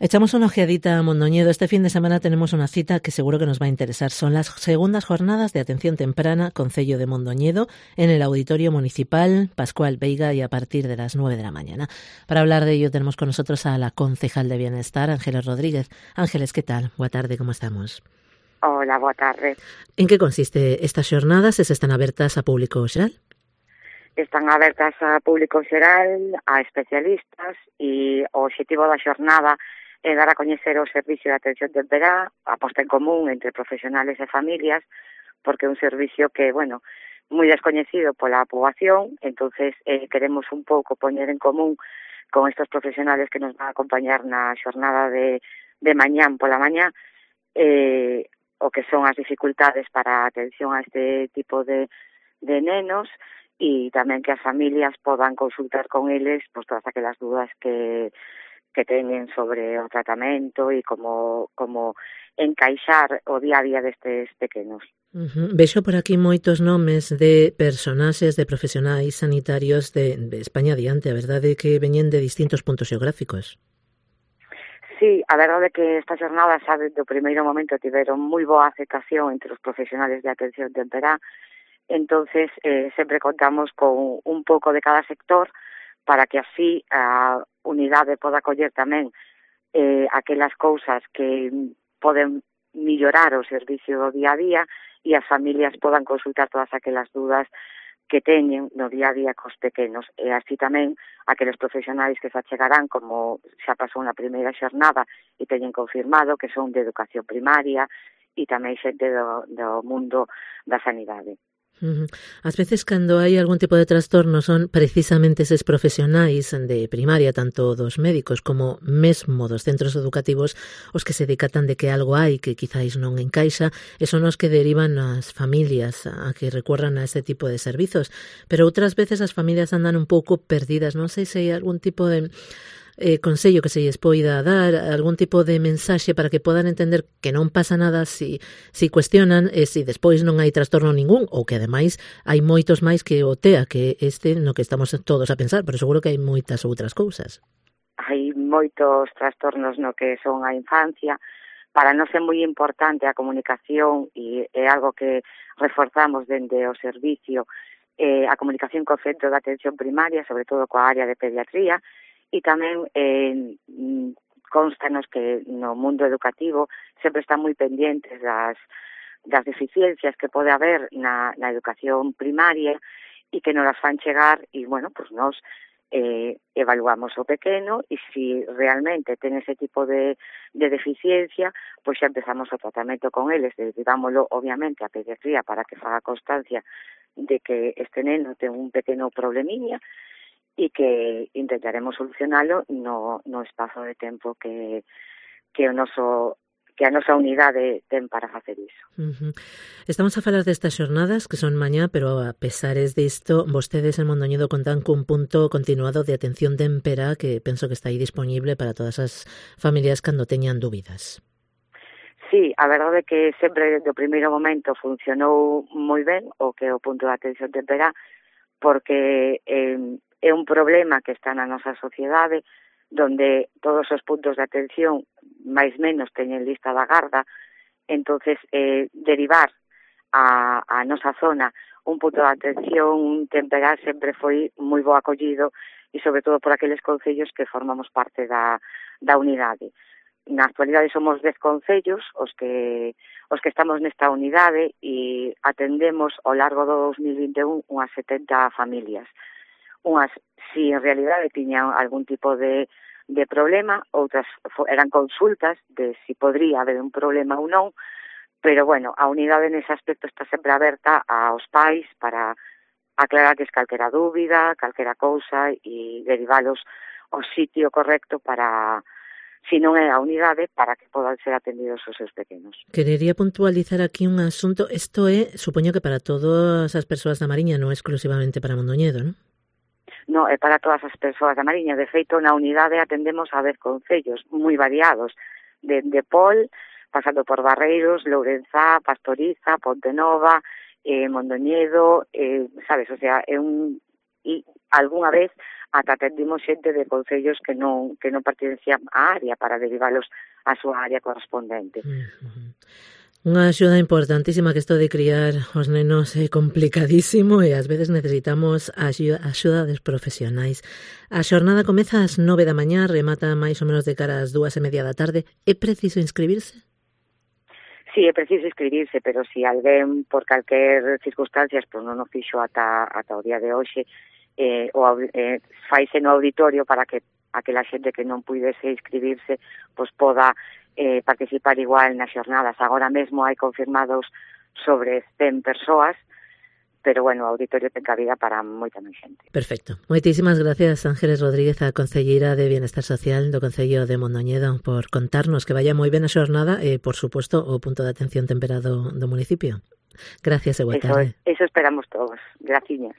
Echamos una ojeadita a Mondoñedo. Este fin de semana tenemos una cita que seguro que nos va a interesar. Son las segundas jornadas de atención temprana Concello de Mondoñedo en el Auditorio Municipal Pascual Veiga y a partir de las 9 de la mañana. Para hablar de ello tenemos con nosotros a la concejal de Bienestar, Ángeles Rodríguez. Ángeles, ¿qué tal? Boa tarde, ¿cómo estamos? Hola, boa tarde. En que consiste estas xornadas e se están abertas a público xeral? Están abertas a público xeral, a especialistas e o obxectivo da xornada é dar a coñecer o servicio de atención temperá, a posta en común entre profesionales e familias, porque é un servicio que, bueno, moi descoñecido pola poboación, entonces queremos un pouco poñer en común con estos profesionales que nos van a acompañar na xornada de mañán pola mañá, o que son as dificultades para a atención a este tipo de nenos e tamén que as familias podan consultar con eles pues, todas aquelas dudas que teñen sobre o tratamento e como encaixar o día a día destes pequenos. Vexo por aquí moitos nomes de personaxes, de profesionais sanitarios de España adiante, a verdade que veñen de distintos puntos xeográficos. Sí, a verdade é que esta xornada xa do primeiro momento tiveron moi boa aceptación entre os profesionales de atención temperá, entonces sempre contamos con un pouco de cada sector para que así a unidade poda coller tamén aquelas cousas que poden mellorar o servicio do día a día e as familias podan consultar todas aquelas dudas que teñen no día a día cos pequenos e así tamén aqueles profesionais que se achegarán como xa pasou na primeira xornada e teñen confirmado que son de educación primaria e tamén xente do mundo da sanidade. Ás veces cando hai algún tipo de trastorno son precisamente eses profesionais de primaria, tanto dos médicos como mesmo dos centros educativos, os que se decatan de que algo hai que quizáis non encaixa e son os que derivan as familias a que recorran a este tipo de servizos. Pero outras veces as familias andan un pouco perdidas. Non sei se hai algún tipo de consello que se lles poida dar, algún tipo de mensaxe para que podan entender que non pasa nada si cuestionan e si despois non hai trastorno ningún ou que ademais hai moitos máis que o TEA, que este no que estamos todos a pensar, pero seguro que hai moitas outras cousas. Hai moitos trastornos no que son a infancia. Para nós é moi importante a comunicación e é algo que reforzamos dende o servicio, a comunicación co centro de atención primaria, sobre todo coa área de pediatría, e tamén constanos que no mundo educativo sempre están moi pendentes das deficiencias que pode haber na educación primaria e que nos las fan chegar e, bueno, pues nos evaluamos o pequeno e se realmente ten ese tipo de deficiencia, pois xa empezamos o tratamento con eles, derivámoslo obviamente a pediatría para que faga constancia de que este neno ten un pequeno problemiña e que intentaremos solucionalo no espazo de tempo que a nosa unidade ten para facer iso. Estamos a falar destas xornadas que son mañá, pero a pesares disto, vostedes en Mondoñedo contan cun punto continuado de atención temperá que penso que está aí disponible para todas as familias cando teñan dúbidas. Sí, a verdade é que sempre do primeiro momento funcionou moi ben o que é o punto de atención temperá, porque é un problema que está na nosa sociedade, donde todos os puntos de atención máis menos teñen lista da garda, entonces derivar a nosa zona un punto de atención temperá sempre foi moi bo acollido e sobre todo por aqueles concellos que formamos parte da unidade. Na actualidade somos 10 concellos os que estamos nesta unidade e atendemos ao largo do 2021 unhas 70 familias. Unhas, si en realidade tiñan algún tipo de problema, outras eran consultas de si podría haber un problema ou non, pero, bueno, a unidade nese aspecto está sempre aberta aos pais para aclararles calquera dúbida, calquera cousa e derivalos ao sitio correcto para, si non é a unidade, para que podan ser atendidos os seus pequenos. Querería puntualizar aquí un asunto. Isto é, supoño que para todas as persoas da Mariña, non exclusivamente para Mondoñedo, non? No, é para todas as persoas da Mariña. De feito, na unidade atendemos a 10 concellos moi variados, de Pol, pasando por Barreiros, Lourenzá, Pastoriza, Pontenova, Mondoñedo, sabes, o sea, é un e algunha vez ata atendimos xente de concellos que non pertencían á área para derivalos á súa área correspondente. Unha axuda importantísima, que isto de criar os nenos é complicadísimo e ás veces necesitamos a axuda dos profesionais. A xornada comeza ás 9 da mañá, remata máis ou menos de cara ás 2:30 da tarde. É preciso inscribirse? Sí, é preciso inscribirse, pero se alguén por calquer circunstancias non o fixo ata o día de hoxe, faise no auditorio para que aquela xente que non puidese inscribirse poda participar igual nas xornadas. Agora mesmo hai confirmados sobre 100 persoas, pero bueno, o auditorio ten cabida para moita máis xente. Perfecto. Moitísimas gracias, Ángeles Rodríguez, a concelleira de Bienestar Social do Concello de Mondoñedo, por contarnos que vaya moi ben a xornada e, por suposto, o punto de atención temperado do municipio. Gracias e boa tarde. Eso esperamos todos. Graciñas.